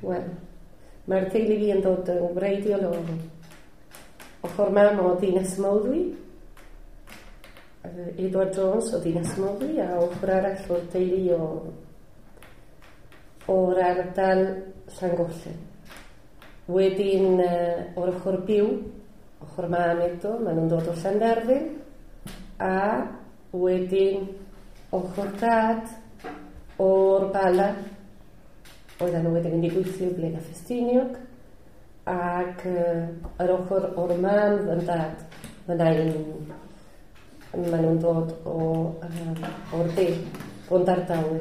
Wel, mae'r teulu fi yn dod yn wreiddiol o ochr mam o Ddinas Mawddwy, Edward Jones o Ddinas Mawddwy, a ochr arall o'r teulu o'r ardal Llangollen. Wedyn o'r ochr byw, ochr mam eto, maen nhw'n dod o Llanderfel, a wedyn ochr dad o'r Bala, oedden nhw wedi mynd i gweithio i Blaenau Ffestiniog, ac yr ochr o'r mam fy dad, fy nain, maen nhw'n dod o'r de, Bontardawe.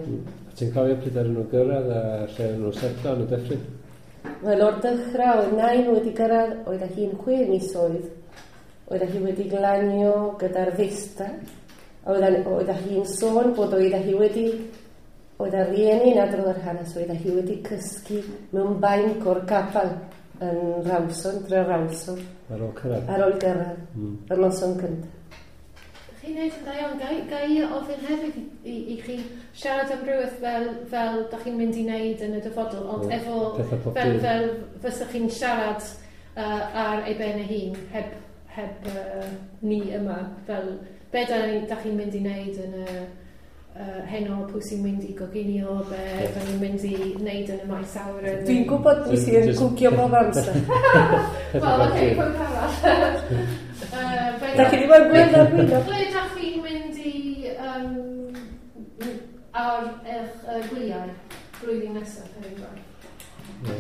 A ti'n cofio pryd ar nhw gyrraedd a lle oedden nhw'n setlo yn y dyffryn? Wel, o'r dechrau, oedd nain wedi gyrraedd, oedd hi'n 6 misoedd, oedd hi wedi glanio gyda'r Vista, oedd hi'n sôn bod oedd hi wedi, oedd ar rieni yn adrodd yr hanes, oedd hi wedi cysgu mewn bainc o'r capel yn Rawson, Tre Rawson. Ar ôl cyrraedd? Ar ôl gyrraedd, yr noson cyntaf. Chi'n neud yn dda iawn. Ga i ofyn hefyd i chi siarad am rhywbeth fel da chi'n mynd i wneud yn y dyfodol, ond efo fel fysach chi'n siarad ar ei ben ei hun, heb ni yma, fel be da chi'n mynd i wneud yn y heno, pwy sy'n mynd i goginio, be da ni'n mynd i wneud yn y maes awyr. Dwi'n gwybod pwy sy'n cwcio bob amser. Wel, oce, pwynt arall. Da chi ddim yn gweld ar gwylio. Ble da chi'n mynd i ar eich gwyliau blwyddyn nesaf, er enghraifft?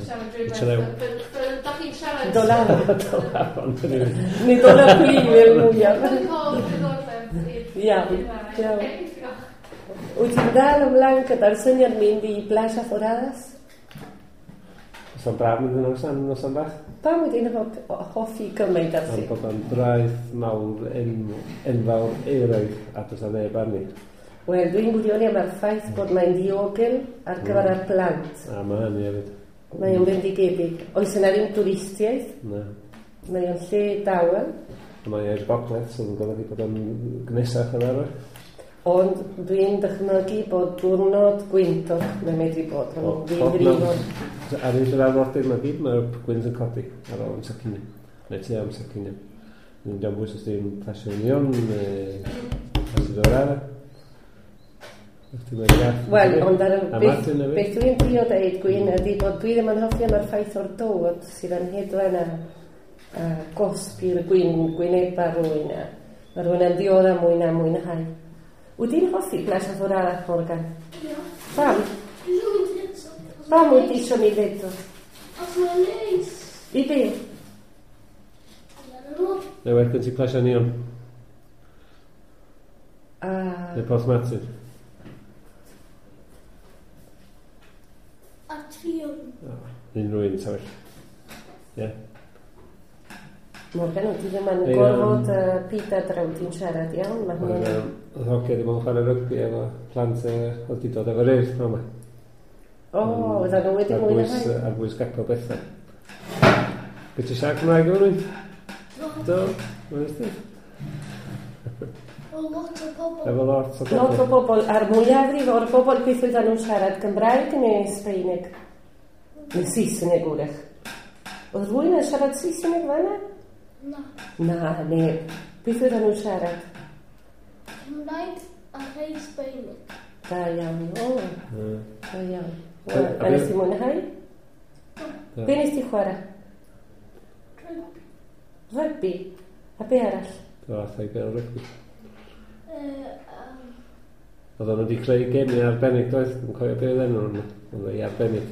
Siarad rhywbeth, fel da chi'n siarad... Dolavon. Neu Dolaflin fel mwyaf. Dwi'n cael diddordeb i'r... Iawn, iawn. Wyt ti'n dal ymlaen gyda'r syniad mynd i Plaza Foradas? Os o'n braf mynd yn noson, noson bach. Pam wyt ti'n hoffi gymaint ar Am bod o'n draeth mawr enfawr euraidd a does 'na neb arni. Wel, dwi'n gwirioni am yr ffaith bod mae'n ddiogel ar gyfer yr plant. A mae hynny hefyd. Mae o'n bendigedig. Oes yna ddim twristiaeth? Na. Mae o'n lle dawel. Mae i'r gogledd, so yn golygu bod o'n gnesach yn arfer. Ond dwi'n dychmygu bod diwrnod gwyntog mae'n medru bod. Mae'n ddifrifol. Ar un lle arfordir mae gyd, mae'r gwynt yn codi ar ôl amser cinio. Neu tua amser cinio. Dwi'n diolch bwys os ti'n Plesio Union, neu Plesio Dorada. Wel, ond ar beth dwi'n drio deud, Gwyn, ydy bod dwi ddim yn hoffi am yr ffaith o'r dod sydd yn hedfan a gosbi'r gwyneba rhywun a mae rhywun yn ddiodda mwy na mwynhau. Wyt ti'n hoffi Plaza Foradas, Morgan? Ie. Pam? Pam wyt ti eisiau mynd eto? Os mae'n neis. I be? Neu well gen ti Plesio Union? Neu Porth Martin? A Trion. Unrhyw un, sefyll. Ie. Morgan, wyt ti ddim yn gorfod pita draw ti'n siarad iawn? Mae hwnna'n... Oedd hogia wedi bod yn chwarae rygbi efo plant oedd wedi dod efo'r urdd yma. O, oedden nhw wedi mwynhau. Ar bwys gapel bethau. Be ti'n siarad Cymraeg efo rhywun? Do. Do, O, lot o bobl. Efo lot o bobl. Lot o bobl. A'r mwyafrif o'r bobl beth oedden nhw'n siarad Cymraeg neu Sbaeneg? Neu Saesneg wrach. Oedd rhywun yn siarad Saesneg fan'na? Na. Na, neb. Beth oedden nhw'n siarad? Cymraeg a rhai Sbaeneg. Da iawn, o. Da iawn. Wel, a nes ti mwynhau? Be nes ti chwarae? Rygbi. Rygbi? A be arall? Do, allai bel rygbi. Oedden nhw wedi creu gemau arbennig, doedd? Dwi'n cofio be oedd enw nhw. Oedd ei arbennig.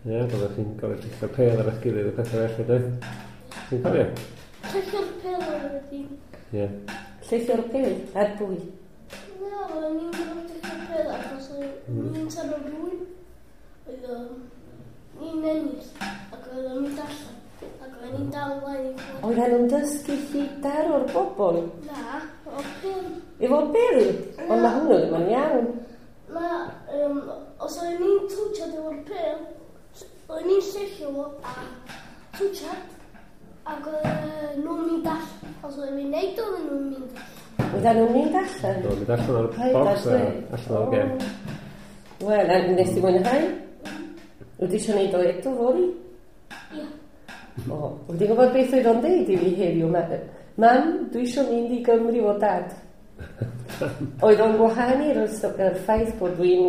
Ie, byddwch chi'n gorfod lluchio'r pêl ar eich gilydd a pethau felly, doedd? Ti'n cofio? Lluchio'r pêl ar y dyn. Ie. Lluchio'r pêl? Ar bwy? Na, oedden ni'n gorfod lluchio'r pêl achos oedden ni'n taro rhywun. Oedd ni'n ennill ac oedd o'n mynd allan ac oedden ni'n dal ymlaen i chwarae. Oedden nhw'n dysgu chi daro'r bobl? Na, o'r pêl. Efo pêl? Ond mae hwnnw ddim yn iawn. Na, os oedden ni'n twtsiad efo'r pêl, oedden ni'n lluchio fo a twtsiad ac oedden nhw'n mynd allan. Os oedden ni'n neud oedden nhw'n mynd allan. Oedden nhw'n mynd allan? Oedden nhw'n mynd allan o'r box a allan o'r gem. Wel, a nes ti mwynhau? Wyt ti eisiau gwneud o eto fory? Ia. O, wyt ti'n gwybod beth oedd o'n deud i fi heddiw? Mam, dwi eisiau mynd i Gymru o dad. Oedd o'n gwahanu'r ffaith bod dwi'n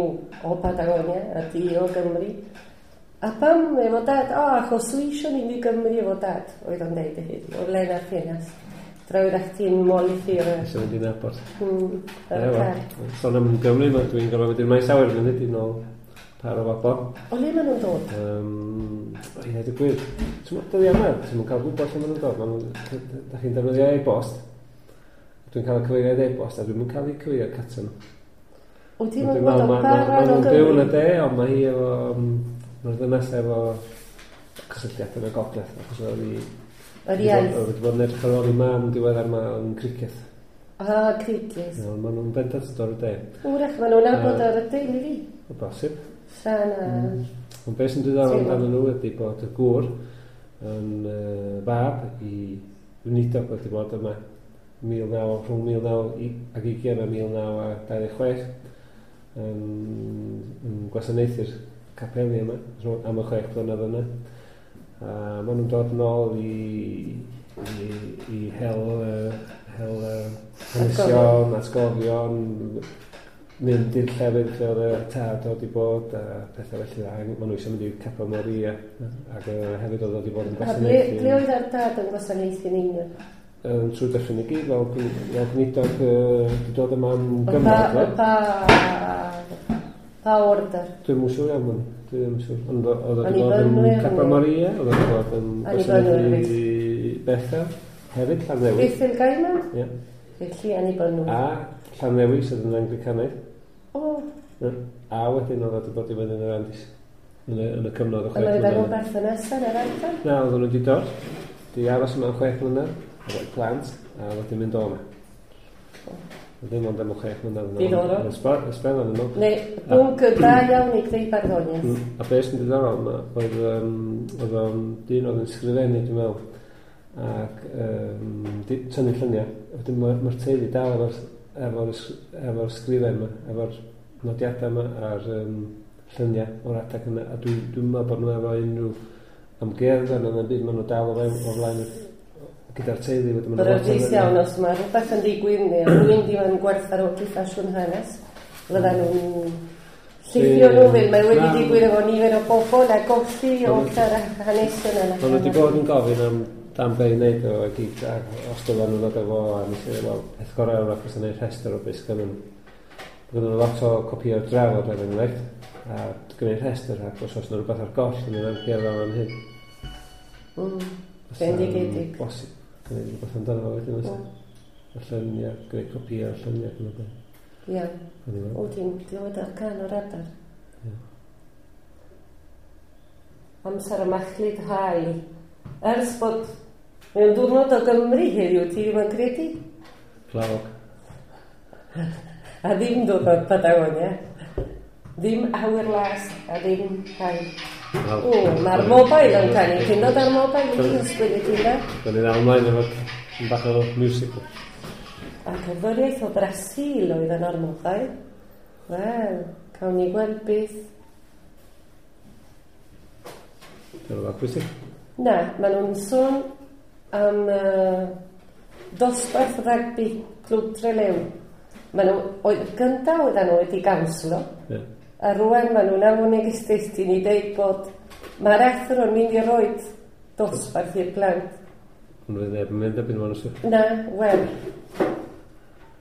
o Patagonia a di o Gymru. A pam efo dad? O, achos dwi eisiau mynd i Gymru efo dad, oedd o'n deud i heddiw, o Lena Ffenast. Drawrach ti'n molithi'r... Eisiau mynd i nabod. Car. Sôn am Gymru, dwi'n gorfod mynd i'r maes awyr munud i nôl par o bobl. O le maen nhw'n dod? Ie, dweud gwir. Ti'n meddwl dyddiau yma, ti'n cael gwybod lle maen nhw'n dod. Da chi'n defnyddio e-bost. Dwi'n cael y cyfeiriad e-bost a dwi'n cael eu cyfeiriad cartra nhw. Wyt ti'n gwybod o pa ran o Gymru? Maen nhw'n byw yn y de, ond mae hi efo... Mae'r ddynes efo cysylltiad yn y gogledd. Achos oedd hi... Yr iaith. Oedd wedi bod yn edrych ar ôl i mam diweddar ma yn cricieth. Ah, cricieth. No, maen nhw'n bendant yn dod o'r de. Wrach, maen nhw'n nabod ar y deulu fi. O bosib. Sana. Ond beth sy'n diddorol amdano nhw ydy bod y gŵr yn fab i weinidog wedi bod yma rhwng 1920 a 1926 yn gwasanaethu'r capeli yma am y 6 blynedd yna. A maen nhw'n dod nôl i hel hanesion, atgofion, mynd i'r llefydd lle oedd y tad oedd wedi bod a pethau felly. A maen nhw eisiau mynd i'r Capel Moria ac hefyd oedd wedi bod yn gwasanaethu. A ble oedd ar dad yn gwasanaethu yn union? Trwy Dyffryn i gyd, fel gweinidog wedi dod yma am gyfnod. Pa order? Dwi'm yn siŵr iawn, dwi ddim yn siŵr. Ond oedd wedi bod yn Capel Moria, oedd wedi bod yn gwasanaethu Bethel, hefyd Llanddewi. Bethel Gaiman? Ie. Felly Annibynwyr. A Llanddewi sydd yn Anglicanaidd. O. A wedyn oedd wedi bod i fyny yn yr Andis, yn y cyfnod o 6 mlynedd. Ond oedd nhw'n berthynas yn yr ardal? Na, oedden nhw wedi dod. Di aros yma am 6 mlynedd, efo'u plant, a wedyn mynd o yma. Ddim ond am 6 mlynedd. Diddorol. Ysbel yn nhw. Neu, bwnc da iawn i greu barddoniaeth. A beth sy'n diddorol yma, oedd o'n dyn oedd yn sgrifennu, dwi'n meddwl, ac tynnu lluniau. Wedyn mae'r teulu dal efo'r sgrifen yma, efo'r nodiadau yma a'r lluniau o'r adeg yna. A dwi'n meddwl bod nhw efo unrhyw amgueddfa neu ddim byd, maen nhw dal o flaen gyda'r teulu. Beryglus iawn os mae rhywbeth yn digwydd neu rhywun ddim yn gwerthfawrogi ffasiwn hanes, fyddan nhw'n llithio nhw fel mae wedi digwydd efo nifer o bobl a golli o'r hanesion yna. Maen nhw wedi bod yn gofyn am dan be i wneud o gyd, ac os dylen nhw'n dod efo, a nes i ddweud, wel, peth gorau yw'r achos yn gwneud rhestr o beth sgynnon nhw. Gynnon nhw lot o copïau drafod er enghraifft, a gwneud rhestr, ac os oes yna rhywbeth ar goll yn yr amgueddfa fan hyn. Bendigedig. Bosib, gwneud rhywbeth amdano fo wedyn, oes? Y lluniau, gwneud copïau o'r lluniau ac yn y blaen. Ie. O, ti'n dod ar can o'r adar. Ie. Amser y machlud haul. Ers bod mewn diwrnod o Gymru heddiw, ti ddim yn credu? Glawog. A ddim diwrnod Patagonia. Ddim awyr las a ddim haul. O, mae'r mobile yn canu. Ti'n dod ar mobile i ti ysgwyd i ti da? Da ni ddal ymlaen efo bach o musical. A cerddoriaeth o Brasil oedd yn o'r mobile. Wel, cawn ni gweld beth. Dyna rhywbeth pwysig? Na, maen nhw'n sôn am dosbarth rygbi Clwb Trelew. Maen nhw, oedd gyntaf oedden nhw wedi ganslo. Yeah. A rwan maen nhw'n anfon neges i ni dweud bod mae'r athro'n mynd i roid dosbarth i'r plant. Ond fydd neb yn mynd erbyn maen nhw'n Na, wel.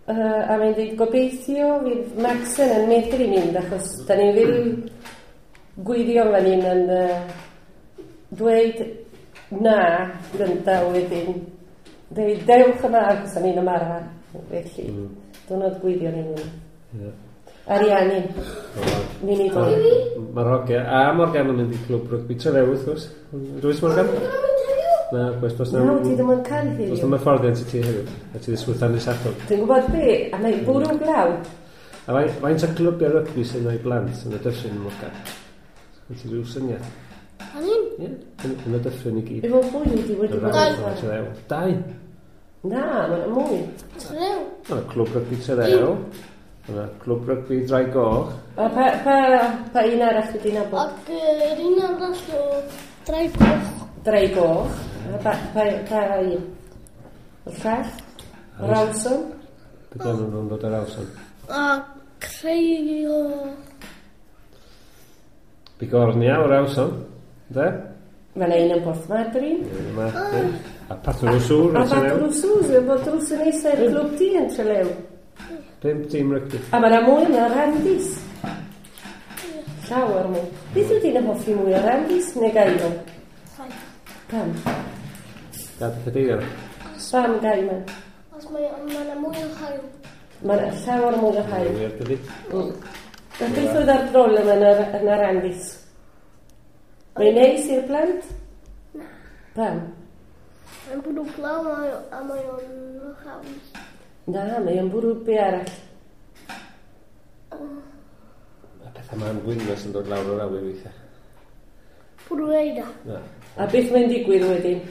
A mae'n dweud gobeithio fydd Maxen yn medru mynd achos da ni ddim gwirion fan hyn yn dweud na gyntaf wedyn. Dweud dewch yma achos o'n i'n ymarfer. Felly, diwrnod gwirion i ni. Yeah. Ariannu. Mynd i ddod. Mae'r hogia. A Morgan yn mynd i clwb rygbi Trelew wrth gwrs. Dwys Morgan? Na, gwrs, does Na, ti ddim yn cael heddiw. Does na'm hyfforddiant i ti heddiw. A ti ddisgwyl tan y Sadwrn. Dwi'n gwybod be, a mae bwrw glaw. A faint o clwbiau rygbi sy'n ei blant yn y dyffryn, Morgan? Sgyn ti rhyw syniad? Fan hyn? Ie, yn y dyffryn i gyd. Efo fwy wedi bod yn. Dau. Na, mae'n mwy. Trelew. Mae'n clwb rygbi Trelew. Yna, clwb rygbi Ddraig Goch. A pa un arall wedi nabod? Ac yr un arall o Draig Goch. Draig Goch. A pa un? Y llall? Rawson? Beth enw nhw'n dod ar Rawson? A creu o... Bigornia o Rawson, de? Mae yna un yn Porthmadryn. A Patrwsŵr. A Patrwsŵr, bod drws yn eisiau'r clwb di yn Trelew. 5 tîm rygbi. A mae yna mwy yna Randys. Llawer mwy. Beth yw di'n hoffi mwy o Randys neu Gaiman? Pam? Gad y cadeirio. Pam Gaiman? Os mae yna mwy o haul. Mae yna llawer mwy o haul. Wir, dydi. A beth oedd ar broblem yn y Randys? Mae'n neis i'r plant? Na. Pam? Mae'n bwrw glaw a mae o'n haws. Na, mae o'n bwrw be arall. Mae pethau ma'n gwynas yn dod lawr o'r awyr weithiau. Bwrw eira. Na. A beth mae'n digwydd wedyn?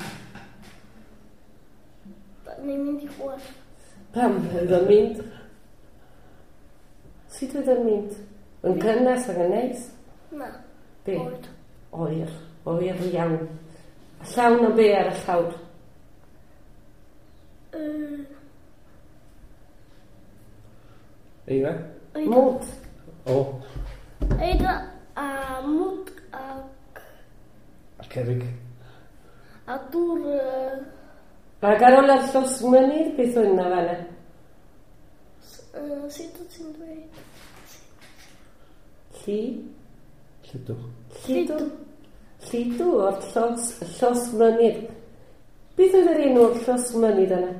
Ni'n mynd i chwarae. Pam oedd o'n mynd? Sut oedd o'n mynd? Yn cynnes ac yn neis? Na. Be? Oer. Oer. Oer iawn. A llawn o be ar y llawr? Eira? Mwd. O. Eira a mwd ac... A cerrig. A dŵr... Ac ar ôl ar llos mynydd, beth oedd yna fan'na? Sut wyt ti'n dweud? Lli? Lludw. Lludw. Lludw o'r llos mynydd. Beth oedd yr enw o'r llos mynydd yna?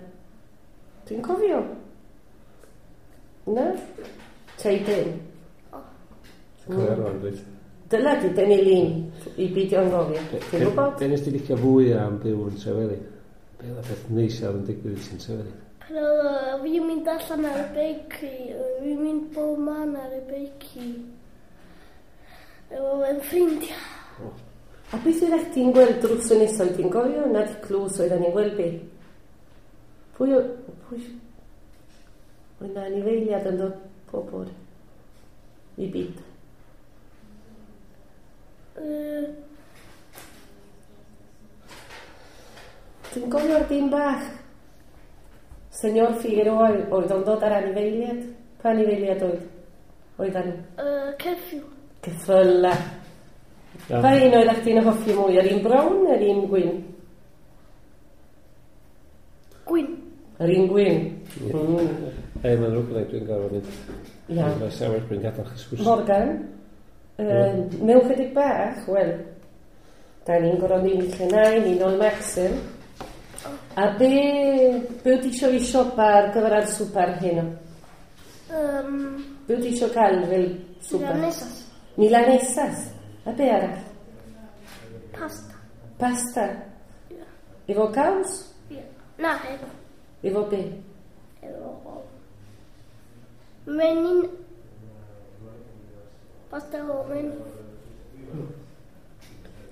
Dwi'n cofio. Na? Teidyn. Cofio rwan, dweud. Dyla di dynnu lun i beidio anghofio. Ti'n gwybod? Be nes di licio fwy am byw yn Trewelyn? Be oedd y peth neis iawn yn digwydd i ti'n Trewelyn? Pan oedd fi'n mynd allan ar y beic, fi'n mynd bob man ar y beic i efo fy ffrindiau. A beth oedd chdi'n gweld drws y nesaf? Ti'n gofio? Na di clws oedden ni'n gweld be? Pwy Oedd na anifeiliad yn dod pob bore i byd. Ti'n gofio'r dyn bach? Senor Figueroa oedd o'n dod ar anifeiliad? Pa anifeiliad oedd? Oedden nhw? Ceffyl. Ceffyla. Pa un oedd chdi'n hoffi mwy? Yr un brown neu'r un gwyn? Gwyn. Yr un gwyn? Ei, mae'n rhywbeth gyda dwi'n gorfod mynd. Iawn. Mae'n sefyll bryn gadael chi sgwrs. Morgan, mewn chydig bach, wel, da ni'n gorfod mynd lle nain, ni'n ôl Maxim. A be wyt ti isio i siopa ar gyfer ar swper heno? Be wyt ti isio cael fel swper? Milanesas. Milanesas. A be arall? Pasta. Pasta? Ie. Efo caws? Ie. Na, efo. Efo be? Efo... Menyn... Pasta o menyn.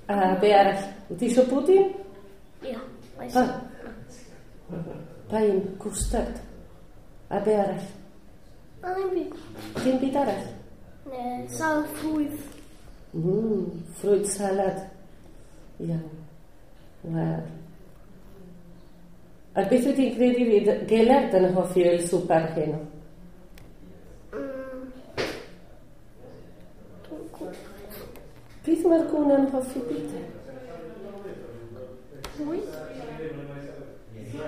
A be arall? Wyt ti isio pwdin? Ie. Pa? Pa un? Cwstard. A be arall? Na, ddim byd. Dim byd arall? Ne, salad ffrwyth. Ffrwyth salad. Iawn. Wel. A beth wyt ti'n credu fydd Gelert yn hoffi o'r swper heno? Dwi'n gwybod. Beth mae'r gwn yn hoffi byd? Bwyd?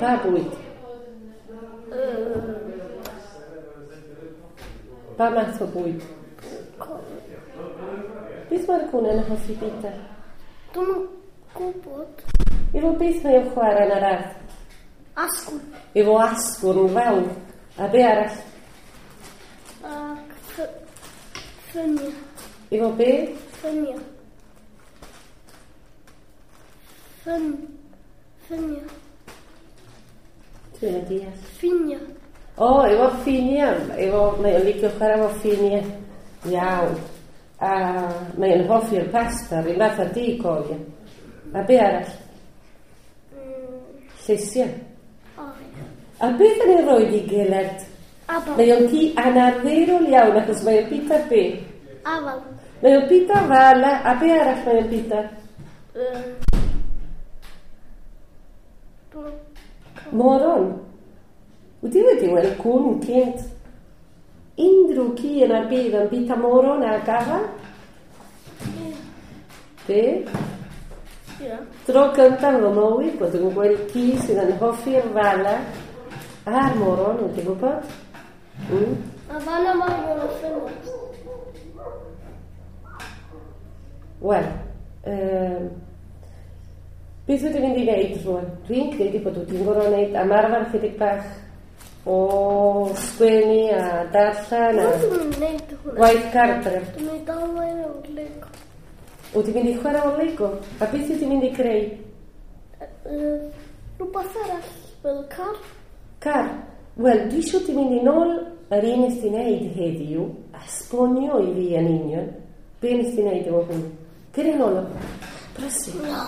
Pa bwyd? Pa math o bwyd? Beth mae'r gwn yn hoffi bwyta? Dwi'n gwybod. Efo beth mae o'n chwarae yn yr ardd? Asgwrn. Efo asgwrn fawr. A be arall? Ac ffynia. Efo be? Ffynia. Ffynia. Dwi'n yn deall. Ffinia. O, efo ffinia. Efo, mae o'n licio chwarae efo ffinia. Iawn. A mae o'n hoffi'r pasta, rhywun fath â di, cofio. A be arall? Llysiau. O, ie. A beth yn ei roed i Gelert Afal. Mae o'n ci anarferol iawn achos mae o'n bita be? Afal. Mae o'n bita fala, a be arall mae o'n bita? Moron. Wyt ti wedi weld cwn cynt? Unrhyw ci yn ar byd yn bita moron a gafal? Ie. Be? Ie. Tro cyntaf fy mywyd bod yn gweld ci sydd yn hoffi'r fala a'r moron, wyt ti'n gwybod? A fanna mae o'n y ffenest. Wel, beth wyt ti'n mynd i wneud rwan? Dwi'n credu bod wyt ti'n gorfod wneud ymarfer chydig bach o sgwennu a darllen a Dwi'n mynd i wneud hwnna. gwaith cartref. Dwi'n mynd i dal mlaen o'r Lego. Wyt ti'n mynd i chwarae o'r Lego? A beth wyt ti'n mynd i greu? Rhywbeth arall fel car. Car. Wel, dwi eisiau ti mynd i nôl yr un nes ti wneud heddiw a sbonio i fi yn union be nes ti wneud efo hwn. Cer i nôl o. Brysur. Na.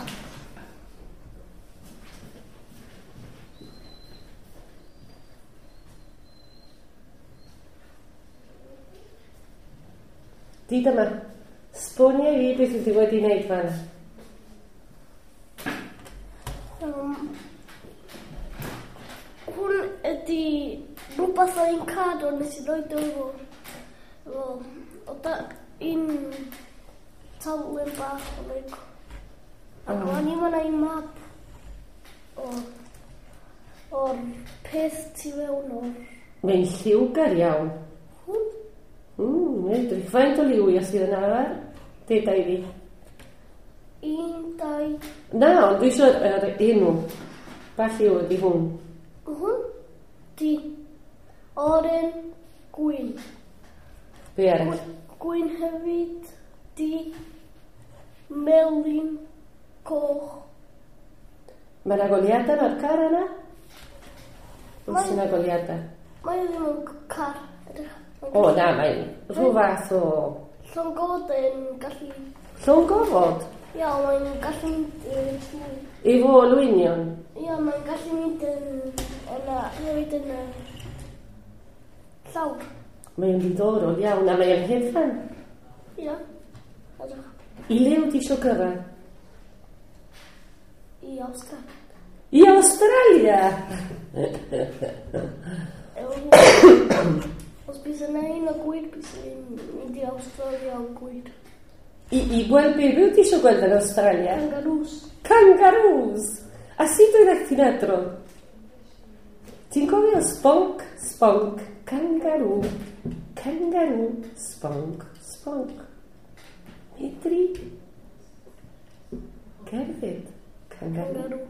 Dyd yma. Sbonio i fi beth wyt ti wedi wneud fan. Hwn ydi rhywbeth o'n i'n cadw nes i roed o efo o da un taflen bach o Lego. Ac o'n i'n mynd i map o'r peth tu fewn o'r Mae'n lliwgar iawn. hwn. Edrych. Faint o liwiau sydd yn arfer? Deuda i fi. 1, 2, Na, ond dwi eisiau yr enw. Pa lliw ydi hwn? Hwn di oren gwyn. Be arall? Gwyn hefyd di melyn coch. Mae yna goliadau ar car yna? Oes yna goliadau? Mae o ddim yn car. Edrych. O, na, mae'n rhyw fath o... Llongoden gallu... Llong gofod? Ia, mae'n gallu mynd yn trwy. Efo olwynion? Ia, mae'n gallu mynd yn... Yna, hefyd yn y llawr. Mae'n ddiddorol iawn, a mae'n hedfan. Ia. Edrych. I le wyt ti isio gyrraedd? I Awstralia. I Awstralia! Os bys yna un o gwir, bys yn mynd i Awstralia o gwir. I gweld be? Be wyt ti isio gweld yn Awstralia? Kangaroos. Kangaroos! A sut oeddech ti'n adrodd? Ti'n cofio sponk, sponk, kangaroo, kangaroo, sponk, sponk. Medri cerdded, kangaroo. Kangaroo.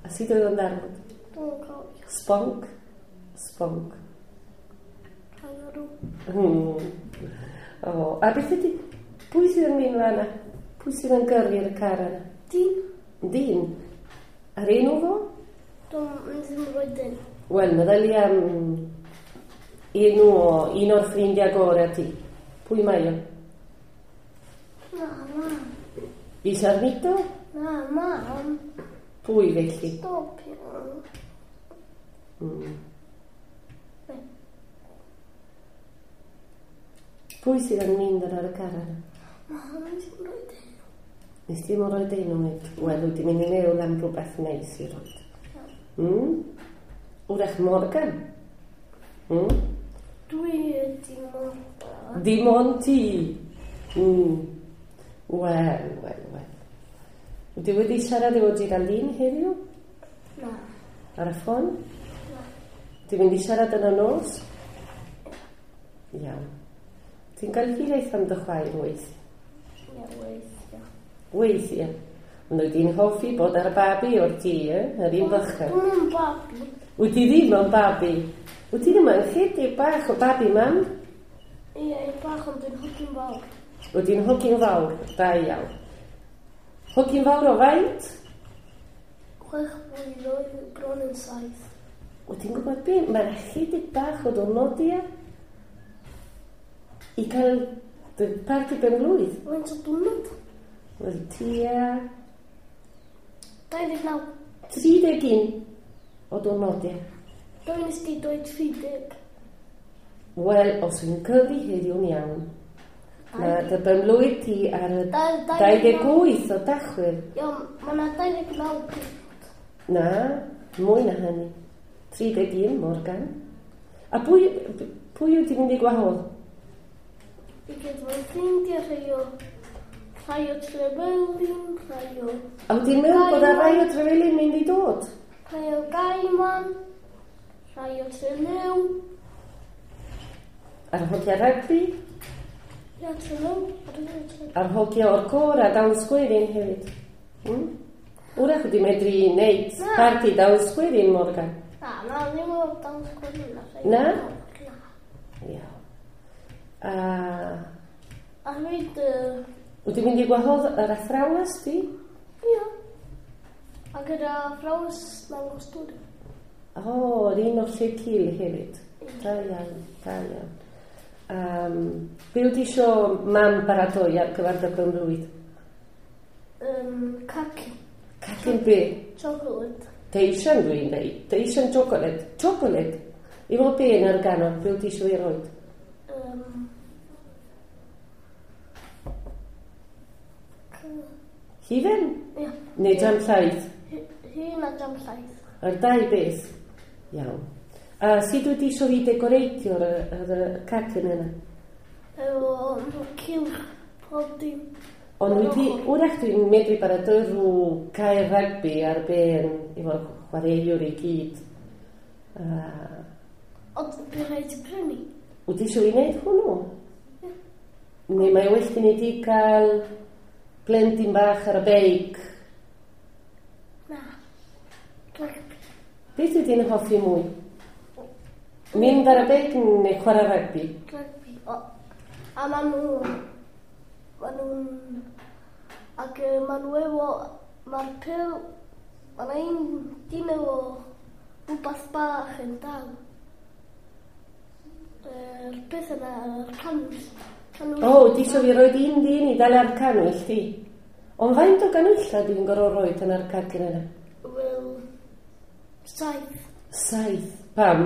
A sut oedd o'n darfod? Dwi'n cofio. Sponk, sponk. Kangaroo. O, a beth ydy, pwy sydd yn mynd fan'na? Pwy sydd yn gyrru'r car yna? Dyn. Dyn. A'r enw fo? Dwi'n ddim yn rhoi dyn. Wel, meddylia am enw o un o'r ffrindiau gorau ti. Pwy mae o? Na, mam. I Sarnito? Na, mam. Pwy felly? Stopio. Pwy sydd yn mynd yn ar y car yna? Mam, ddim yn rhoi dyn. Nes ti ddim yn rhoi enw nid? Wel, wyt ti'n mynd i meddwl am rhywbeth neis i roed. Wrach Morgan. Dwi ydi Morgan. Dim ond ti. Wel, wel, wel. Wyt ti wedi siarad efo Geraldine heddiw? Na. Ar y ffôn? Na. Ti'n mynd i siarad yn y nos? Iawn. Ti'n cael hiraeth am dy chwaer weithiau? Ie, weithiau. Weithiau. Ond wyt ti'n hoffi bod ar y babi o'r ti, Yr un bychan. Dwi'n yn babi. Wyt ti ddim yn babi? Wyt ti ddim yn chydig bach o babi, mam? Ie, bach ond dwi'n hogyn fawr. Wyt ti'n hogyn fawr, da iawn. Hogyn fawr o faint? 6 blwydd, bron yn 7. Wyt ti'n gwybod be? Mae'n chydig bach o diwrnodiau i cael dy parti ben-blwydd. Faint o diwrnod? Wel, tua 29. 31 o diwrnodiau. Dwi'n nes di dweud 30. Wel, os wy'n cyfri heddiw'n iawn, na dy benblwydd ti ar y 28 o Dachwedd. Iawn, mae yna 29 diwrnod. Na, mwy na hynny. 31, Morgan. A pwy wyt ti'n mynd i gwahodd? I gyd fy ffrindiau, rhai o Trevelin, rhai o... A wyt ti'n meddwl bod rhai o Trevelin mynd i dod? Rhai o Gaiman, rhai o Trelew. A'r hogia rygbi? Ia, Trelew. A'r hogia o'r côr a dawns gwerin hefyd. Wrach wedi medru wneud parti dawns gwerin, Morgan? Na, ddim o'r dawns gwerin. Na? Na. Iawn. A hefyd... Wyt ti'n mynd i gwahodd yr athrawes di? Ia. A gyda athrawes mewn stwdi. O, yr un o'r lle cil hefyd. Da iawn, da iawn. Be wyt ti isio mam baratoi ar gyfer dy benblwydd? Cacen. Cacen be? Chocolate. Teisian dwi'n dweud. Teisian chocolate. Chocolate. Efo be yn ar ganol? Be wyt ti isio i roed? Hufen? Ia. Neu jam llaeth? Hun a jam llaeth. Yr dau beth? Iawn. A sut wyt ti isio fi decoreitio'r cacen yna? Efo cylch pob dim. Ond wyt ti, wrach dwi'n medru baratoi rhyw cae rygbi ar ben efo'r chwaraewr i gyd. Ond bydd rhaid i prynu? Wyt ti isio fi wneud hwnnw? Ie. Neu mae well gen i di cael plentyn bach ar y beic? Na. Rygbi. Beth wyt ti'n hoffi mwy? Mynd ar y beic neu chwarae rygbi? Rygbi. A maen nhw'n... Ac maen nhw efo... Mae'r pil... Mae'n un dyn efo rhywbeth bach yn dal. Yr peth yna, yr cannwyll. O, ti isio fi roed un dyn i dal ar cannwyll ti? Ond faint o ganwylla dwi'n gorfod roed yn ar cacen yna? Wel, 7. 7? Pam?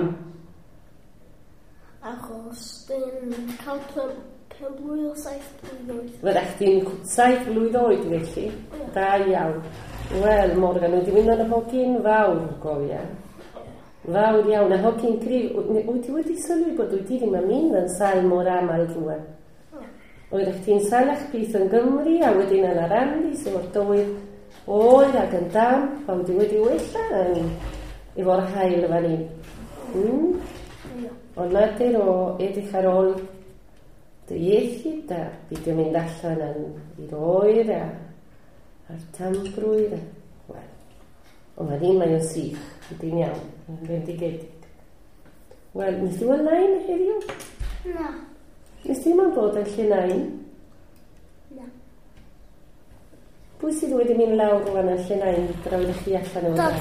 Achos dyn cael penblwydd o 7 blwydd oed. Fyddech chdi'n 7 blwydd oed felly? Da iawn. Wel, Morgan, wyt ti'n mynd yn y hogyn fawr, gofia. Fawr iawn, a hogyn cryf. Wyt ti wedi sylwi bod wyt ti ddim yn mynd yn sâl mor aml rŵan? Oeddech chdi'n salach pith yn Gymru a wedyn yn Arandi, sef o'r dywydd oer ac yn damp, a wedi wella yn efo'r haul fan hyn. Ond mater o edrych ar ôl dy iechyd a beidio mynd allan yn i'r oer a'r tambrwydd. Wel, ond fan hyn mae o'n sych, ydy'n iawn, yn bendigedig. Wel, nes ti weld nain heddiw? Na. Nes ti ddim bod yn lle nain? Na. Pwy sydd wedi mynd lawr rwan yn lle nain tra oeddech chi allan o? Dad.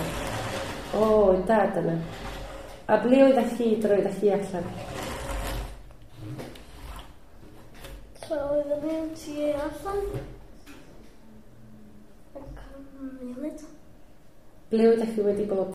O, dad yna. A ble oeddech chi tra oeddech chi allan? Tra oeddech ni tu allan. Ac ble oeddech chi wedi bod?